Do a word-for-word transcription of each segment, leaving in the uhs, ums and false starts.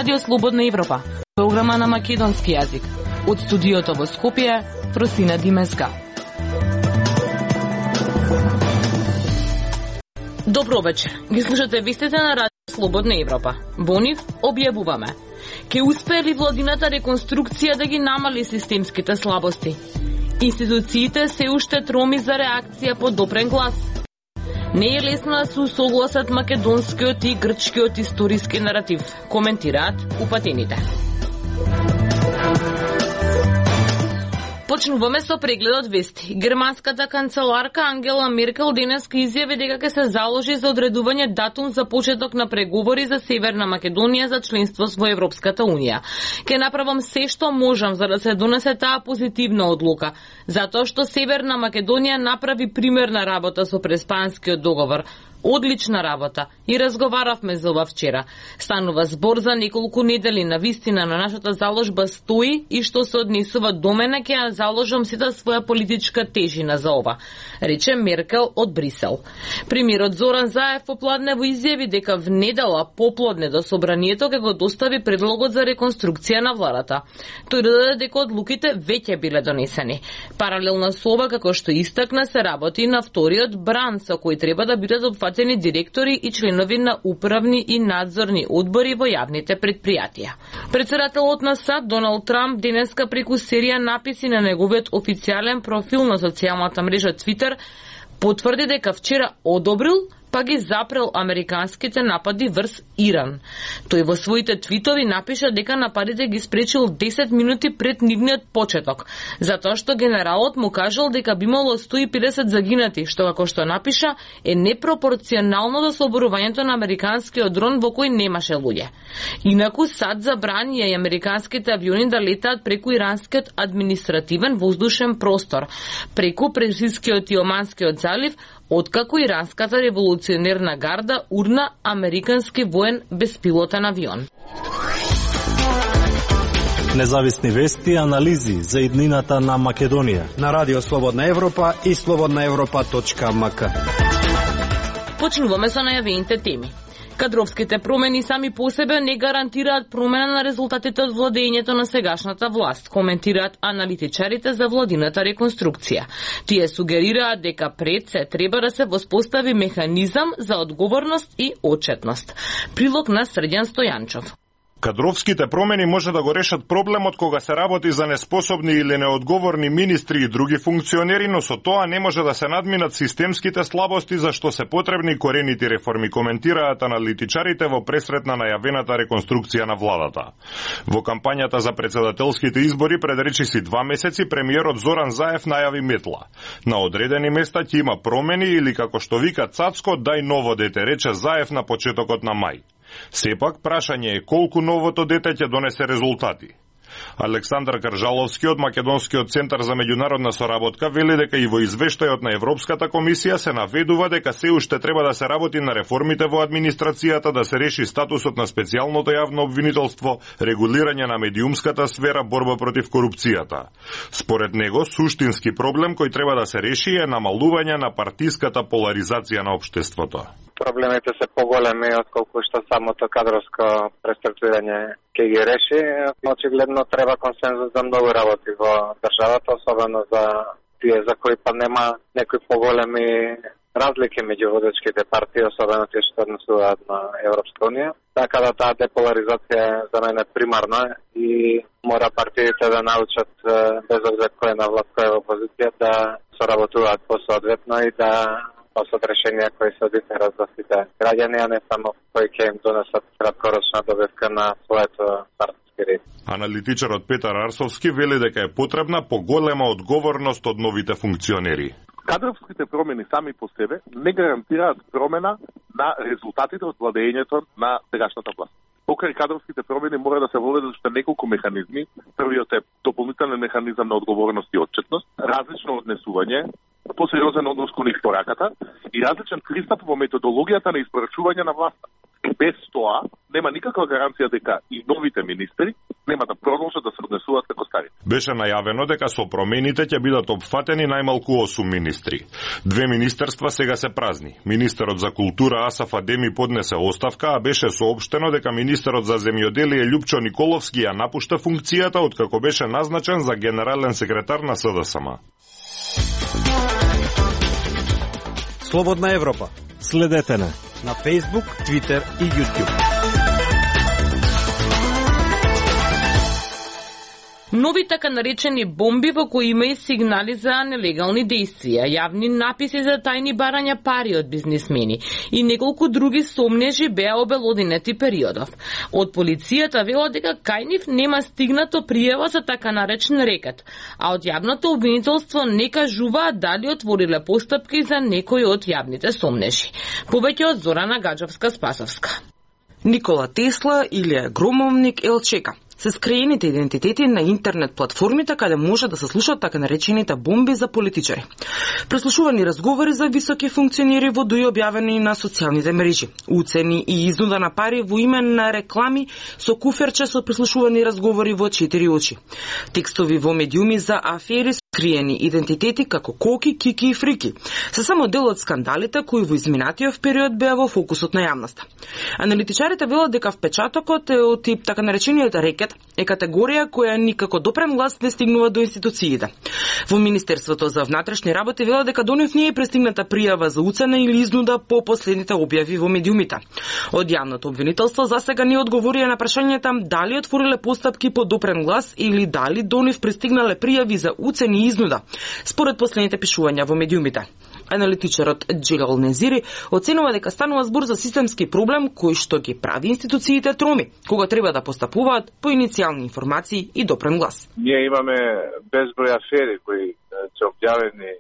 Радио Слободна Европа, програма на македонски јазик. Од студиото во Скопје, Фросина Димеска. Добро вечер. Ги слушате вестите на Радио Слободна Европа. Во нив објавуваме: ке успее ли владината реконструкција да ги намали системските слабости? Институциите се уште троми за реакција по допрен глас. Не е лесно да се усогласат македонскиот и грчкиот историски наратив, коментираат упатените. Почнуваме со прегледот вести. Германската канцеларка Ангела Меркел денеска изјави дека ќе се заложи за одредување датум за почеток на преговори за Северна Македонија за членство во Европската Унија. Ке направам се што можам за да се донесе таа позитивна одлука, затоа што Северна Македонија направи примерна работа со Преспанскиот договор. Одлична работа. И разговаравме за ова вчера. Станува збор за неколку недели на вистина на нашата заложба стои и што се однесува до мене ќе ја заложам сета своја политичка тежина за ова, рече Меркел од Брисел. Премиерот Зоран Заев попладне во изјави дека внедела поплодне до собранието ќе го достави предлогот за реконструкција на владата. Тој додаде дека одлуките веќе биле донесени. Паралелно со ова, како што истакна, се работи на вториот бран со кој треба да бидат опфатени директори и членови на управни и надзорни одбори во јавните предпријатија. Председателот на САД Доналд Трамп денеска преку серија написи на неговиот официјален профил на социјалната мрежа Твитер потврди дека вчера одобрил па ги запрел американските напади врз Иран. Тој во своите твитови напиша дека нападите ги спречил десет минути пред нивниот почеток, затоа што генералот му кажал дека би имало сто и педесет загинати, што како што напиша е непропорционално до соборувањето на американскиот дрон во кој немаше луѓе. Инаку САД забрани и американските авиони да летаат преку иранскиот административен воздушен простор, преку Персискиот и Оманскиот залив, откако иранската револуционерна гарда урна американски воен беспилотен авион. Независни вести и анализи за иднината на Македонија на Радио Слободна Европа и слободна европа точка ем ка. Почнуваме со најавените теми. Кадровските промени сами по себе не гарантираат промена на резултатите од владењето на сегашната власт, коментираат аналитичарите за владината реконструкција. Тие сугерираат дека пред се треба да се воспостави механизам за одговорност и отчетност. Прилог на Срđan Стојанчов. Кадровските промени може да го решат проблемот кога се работи за неспособни или неодговорни министри и други функционери, но со тоа не може да се надминат системските слабости за што се потребни корените реформи, коментираат аналитичарите во пресрет на најавената реконструкција на владата. Во кампањата за председателските избори пред речиси два месеци премиерот Зоран Заев најави метла. На одредени места ќе има промени или, како што вика Цацко, дај ново дете, рече Заев на почетокот на мај. Сепак, прашање е колку новото дете ќе донесе резултати. Александар Каржаловски од Македонскиот центар за меѓународна соработка вели дека и во извештајот на Европската комисија се наведува дека се уште треба да се работи на реформите во администрацијата, да се реши статусот на специјалното јавно обвинителство, регулирање на медиумската сфера, борба против корупцијата. Според него, суштински проблем кој треба да се реши е намалување на партиската поларизација на општеството. Проблемите се поголеми отколку што самото кадровско преструктурирање ќе ги реши. Очигледно треба консензус за многу работи во државата, особено за тие за кои па нема некои поголеми разлики меѓу водечките партии, особено тие што однесуваат на Европска Унија. Така да таа деполаризација е за мене примарна и мора партиите да научат, без обзир кој е на власт, кој е во опозиција, да соработуваат посоодветно и да носат решенија кои се одитират за сите граѓани, а не само кои ќе им донесат краткорочна добивка на своето партиски ред. Аналитичарот Петар Арсовски вели дека е потребна поголема одговорност од новите функционери. Кадровските промени сами по себе не гарантираат промена на резултатите од владењето на сегашната власт. Покрај кадровските промени мора да се водат уште неколку механизми. Првиот е дополнителен механизам на одговорност и отчетност, различно однесување, посериозен однос кон испораката и различен пристап во методологијата на испорачување на власта. Без тоа нема никаква гаранција дека и новите министри нема да продолжат да се однесуваат како стари. Беше најавено дека со промените ќе бидат опфатени најмалку осум министри. Две министерства сега се празни. Министерот за култура Асаф Адеми поднесе оставка, а беше соопштено дека министерот за земјоделие Љупчо Николовски ја напушта функцијата откако беше назначен за генерален секретар на С Д С М. Слободна Европа. Следете на на Facebook, Twitter и YouTube. Нови така наречени бомби во кои има и сигнали за нелегални действија, јавни написи за тајни барања пари од бизнисмени и неколку други сомнежи беа обелодинети периодов. Од полицијата велат дека кај нив нема стигнато пријава за така наречен рекет, а од јавното обвинителство не кажуваат дали отвориле постапки за некои од јавните сомнежи. Повеќе од Зорана Гаджовска-Спасовска. Никола Тесла, Илија Громовник, Елчека се скриените идентитети на интернет платформите каде може да се слушаат така наречените бомби за политичари. Преслушувани разговори за високи функционери во дуи објавени на социјалните мрежи, уцени и изнуда на пари во име на реклами со куферче со преслушувани разговори во четири очи. Текстови во медиуми за афери, скриени идентитети како Коки, Кики и Фрики се само дел од скандалите кои во изминатиот период беа во фокусот на јавноста. Аналитичарите велат дека впечатокот е од тип така наречениот рекет е категорија која никако допрен глас не стигнува до институциите. Во Министерството за внатрешни работи велат дека до нив не е пристигната пријава за уцена или изнуда по последните објави во медиумите. Од јавното обвинителство засега не одговорија на прашањата дали отвориле постапки по допрен глас или дали до нив пристигнале пријави за уцени и изнуда, според последните пишувања во медиумите. Аналитичарот Джелал Незири оценува дека станува збор за системски проблем кој што ги прави институциите троми, кога треба да постапуваат по иницијални информации и допрен глас. Ние имаме безброј афери кои се објавени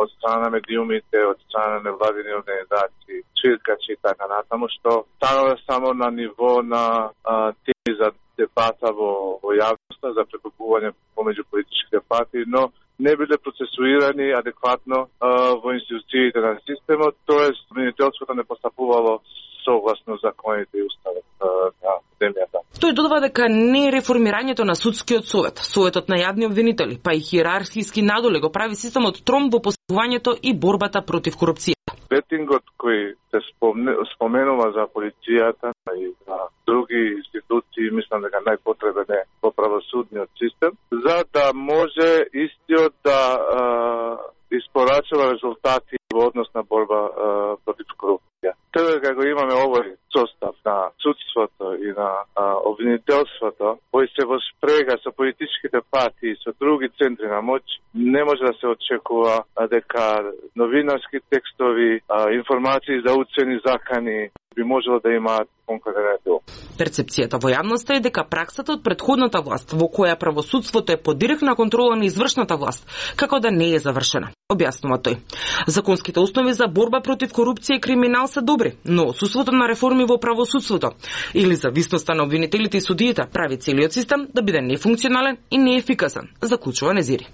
од страна на медиумите, од страна на невладини организации, чиркачи и така натаму, што станува само на ниво на а, теми за дебата во, во јавноста, за прекупување помеѓу политичките партии, но не биле процесуирани адекватно а, во институциите на системот, тоест обвинителството не постапувало согласно законите и уставот на земјата. Тој додава дека не е реформирањето на судскиот совет, советот на јавни обвинители, па и хиерархиски надоле го прави системот тром во постапувањето и борбата против корупција. Ветингот кој се споменува за полицијата и за други институции, мислам дека најпотребен е во правосудниот систем, за да може истиот да а, испорачува резултати во однос на борба а, против корупција. Тоа како имаме овој состав на судството и на а, обвинителството, кој се во спрега со политичките партии и со други центри на моќ, не може да се очекува а, дека новинарски текстови, а, информации за уцени закани би можело да имаат конкретен дел. Перцепцијата во јавноста е дека праксата од претходната власт, во која правосудството е под директна контрола на извршната власт, како да не е завршена, објаснува тој. Законските основи за борба против корупција и криминал се добри, но отсуството на реформи во правосудството или зависноста на обвинителите и судиите прави целиот систем да биде нефункционален и неефикасен, заклучува Незири.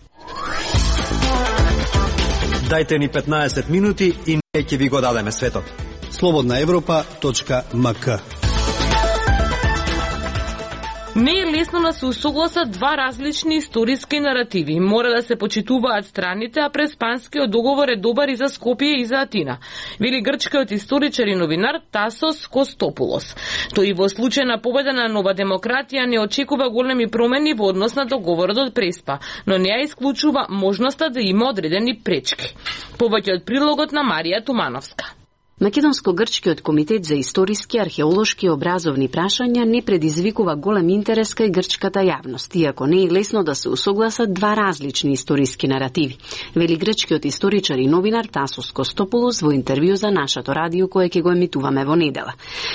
Дајте ни петнаесет минути и ние ќе ви го дадеме светот. слободна европа точка м к. Не е лесно да се усогласат два различни историски наративи. Мора да се почитуваат страните, а Преспанскиот договор е добар и за Скопје и за Атина, вели грчкиот историчар и новинар Тасос Костопулос. Тој во случај на победа на Нова демократија не очекува големи промени во однос на договорот од Преспа, но не ја исклучува можноста да има одредени пречки. Повеќе од прилогот на Марија Тумановска. Македонско-грчкиот комитет за историски, археолошки и образовни прашања не предизвикува голем интерес кај грчката јавност, иако не е лесно да се усогласат два различни историски наративи, вели грчкиот историчар и новинар Тасос Костопулос во интервју за нашето радио кое ќе го емитуваме во недела.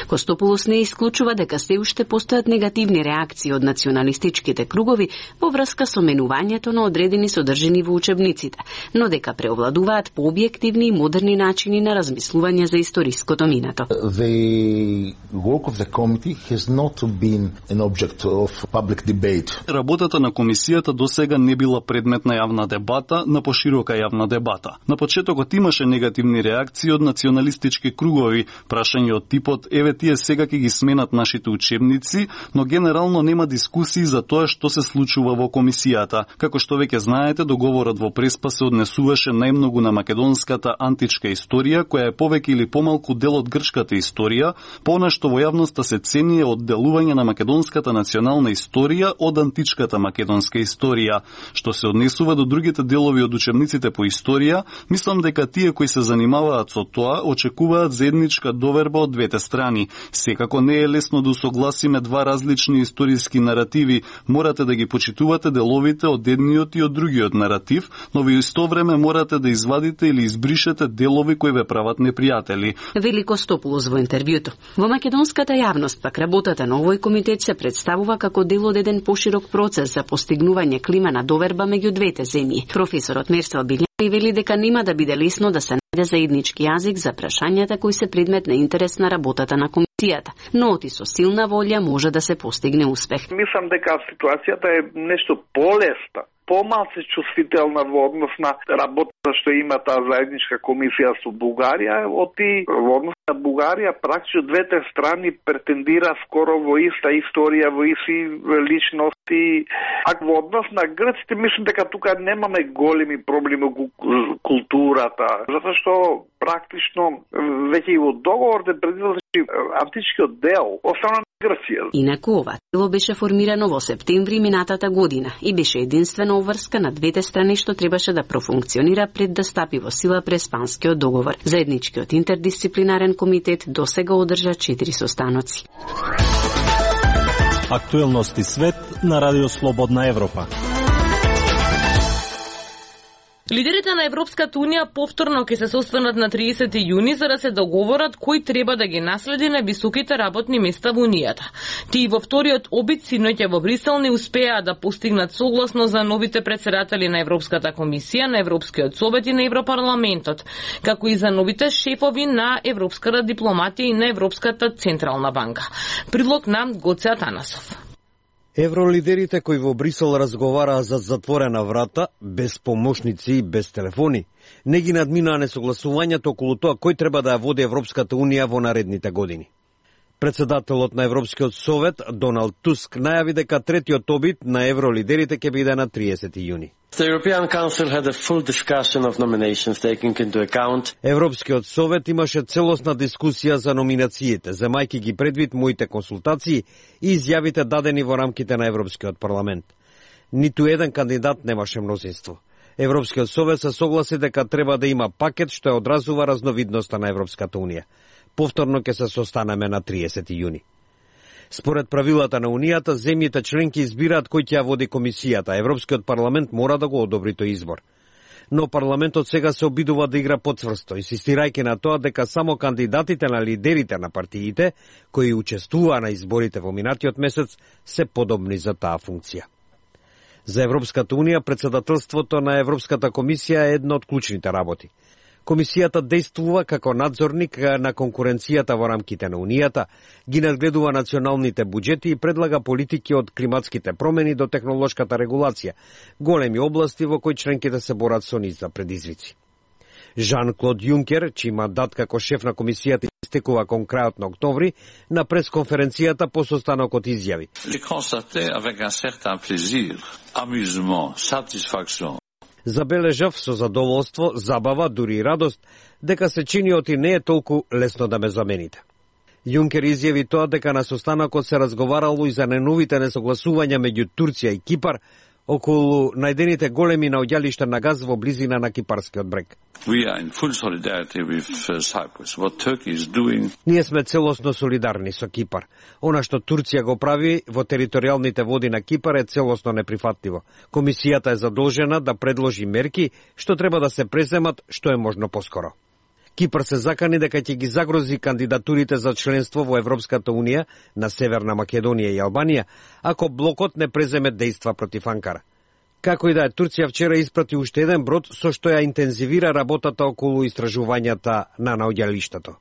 Костопулос не исклучува дека се уште постојат негативни реакции од националистичките кругови во врска со менувањето на одредени содржини во учебниците, но дека преовладуваат пообјективни и модерни начини на размислување за историското минато. The work of the committee has not been an object of public debate. Работата на комисијата досега не била предмет на јавна дебата, на поширока јавна дебата. На почетокот имаше негативни реакции од националистички кругови, прашања од типот еве тие сега ќе ги сменат нашите учебници, но генерално нема дискусии за тоа што се случува во комисијата. Како што веќе знаете, договорот во Преспа се однесуваше најмногу на македонската античка историја, која е повеќе или помалку дел од грчката историја, по што во јавноста се цени е одделување на македонската национална историја од античката македонска историја. Што се однесува до другите делови од учебниците по историја, мислам дека тие кои се занимаваат со тоа очекуваат заедничка доверба од двете страни. Секако не е лесно да усогласиме два различни историски наративи. Морате да ги почитувате деловите од едниот и од другиот наратив, но во исто време морате да извадите или избришете делови кои ве прават непријатели. Велико Стопулос во интервјуто. Во македонската јавност пак работата на овој комитет се представува како дел од еден поширок процес за постигнување клима на доверба меѓу двете земји. Професорот Мерсел Билјани вели дека нема да биде лесно да се најде заеднички јазик за прашањата кои се предмет на интерес на работата на комисијата, но оти со силна волја може да се постигне успех. Мислам дека ситуацијата е нешто полесна, помалку чувствителна во однос на работата што има таа заедничка комисија со Бугарија, оти во однос на Бугарија практично двете страни претендира скоро во иста историја, во исти личности, а во однос на грците мислам дека тука немаме големи проблеми во културата, затоа што практично веќе и во договорот е предвидено античкиот дел остана на Грција. Инаку ова тело беше формирано во септември минатата година и беше единствена обврска на двете страни што требаше да профункционира пред да стапи во сила Преспанскиот договор. Заедничкиот интердисциплинарен комитет досега одржа четири состаноци. Актуелности свет на Радио Слободна Европа. Лидерите на Европската Унија повторно ќе се состанат на триесети јуни за да се договорат кој треба да ги наследи на високите работни места во Унијата. Тие во вториот обид синоќа во Брисел не успеа да постигнат согласно за новите претседатели на Европската комисија, на Европскиот совет и на Европарламентот, како и за новите шефови на европската дипломатија и на Европската централна банка. Прилог на Гоце Атанасов. Евролидерите кои во Брисел разговараа за затворена врата, без помошници и без телефони, не ги надминаа несогласувањето околу тоа кој треба да ја води Европската Унија во наредните години. Председателот на Европскиот совет, Доналд Туск, најави дека третиот обид на евролидерите ќе биде на триесети јуни. The European Council had a full discussion of nominations taking into account. Европскиот совет имаше целосна дискусија за номинациите, земајќи ги предвид моите консултации и изјавите дадени во рамките на Европскиот парламент. Ниту еден кандидат немаше мнозинство. Европскиот совет се согласи дека треба да има пакет што ја одразува разновидноста на Европската Унија. Повторно ќе се состанеме на триесети јуни. Според правилата на Унијата, земјите членки избираат кој ќе ја води комисијата. Европскиот парламент мора да го одобри тој избор. Но парламентот сега се обидува да игра потврсто, инсистирајќи на тоа дека само кандидатите на лидерите на партиите, кои учествуваа на изборите во минатиот месец, се подобни за таа функција. За Европската Унија, председателството на Европската комисија е една од клучните работи. Комисијата действува како надзорник на конкуренцијата во рамките на Унијата, ги надгледува националните буџети и предлага политики од климатските промени до технолошката регулација, големи области во кои членките се борат со низ за предизвици. Жан-Клод Јункер, чиј мандат како шеф на комисијата истекува кон крајот на октомври, на пресконференцијата по состанокот изјави: Забележав со задоволство, забава, дури и радост, дека се чини оти не е толку лесно да ме замените. Јункер изјави тоа дека на состанокот се разговарало и за неновите несогласувања меѓу Турција и Кипар околу најдените големи наоѓалишта на газ во близина на кипарскиот брег. Ние сме целосно солидарни со Кипар. Она што Турција го прави во територијалните води на Кипар е целосно неприфатливо. Комисијата е задолжена да предложи мерки што треба да се преземат што е можно поскоро. Кипар се закани дека ќе ги загрози кандидатурите за членство во Европската Унија на Северна Македонија и Албанија, ако блокот не преземе дејства против Анкара. Како и да е, Турција вчера испрати уште еден брод со што ја интензивира работата околу истражувањата на наоѓалиштето.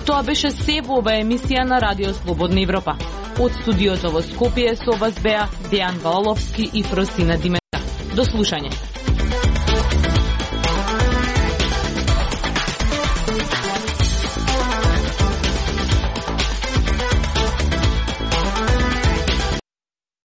Тоа беше се во ова емисија на Радио Слободна Европа. Од студиото во Скопје со вас беа Дејан Валаловски и Фросина Димета. До слушање.